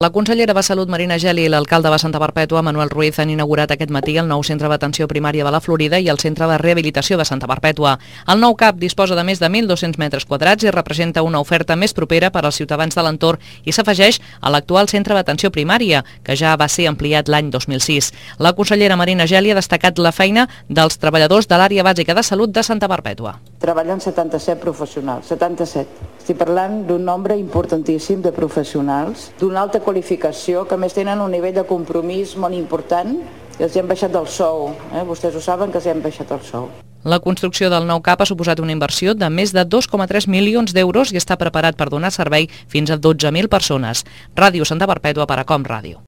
La consellera de Salut, Marina Geli, i l'alcalde de Santa Perpètua, Manuel Ruiz, han inaugurat aquest matí el nou centre d'atenció primària de la Florida i el centre de rehabilitació de Santa Perpètua. El nou CAP disposa de més de 1.200 metres quadrats i representa una oferta més propera per als ciutadans de l'entorn i s'afegeix a l'actual centre d'atenció primària, que ja va ser ampliat l'any 2006. La consellera Marina Geli ha destacat la feina dels treballadors de l'àrea bàsica de salut de Santa Perpètua. Treballen 77 professionals, 77. Estic parlant d'un nombre importantíssim de professionals, d'una alta qualificació, que més tenen un nivell de compromís molt important i els hem baixat el sou. Vostès ho saben que els hem baixat el sou. La construcció del nou CAP ha suposat una inversió de més de 2,3 milions d'euros i està preparat per donar servei fins a 12.000 persones. Ràdio Santa Perpètua per a Com Ràdio.